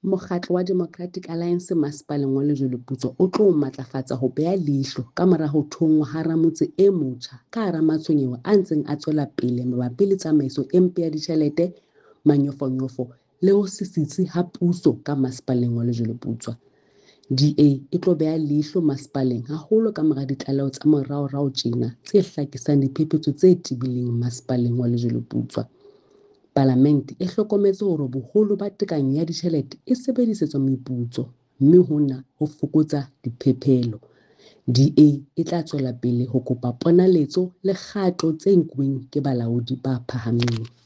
Mokgatlo wa Democratic Alliance Masepaleng wa Lejweleputswa o tlo matlafatsa ho beha leihlo kamora ho thonngwa ha ramotse e motjha ka hara matshwenyeho a ntseng a tswela pele mabapi le tsamaiso e mpe ya ditjhelete, manyofonyofo le ho se sitse ha puso ka Masepaleng wa Lejweleputswa. DA e tlo beha leihlo masepaleng haholo kamora ditlaleho tsa moraorao tjena tse hlakisang diphephetso tse tebileng Masepaleng wa Lejweleputswa. Palamente e hlokometse hore boholo ba tekanyo ya ditjhelete e sebedisetswa meputso, mme hona ho fokotsa diphephelo. DA e tla tswela pele ho kopa ponaletso le kgato tse nkuweng ke balaodi ba phahameng.